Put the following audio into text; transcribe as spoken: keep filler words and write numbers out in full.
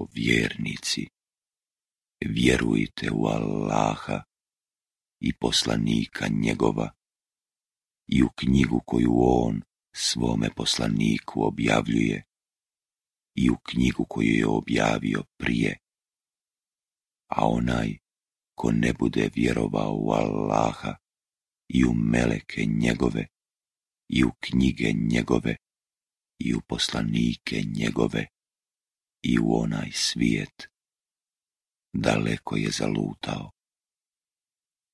O vjernici, vjerujte u Allaha i poslanika njegova i u knjigu koju on svome poslaniku objavljuje i u knjigu koju je objavio prije. A onaj ko ne bude vjerovao u Allaha i u meleke njegove i u knjige njegove i u poslanike njegove i u onaj svijet, daleko je zalutao.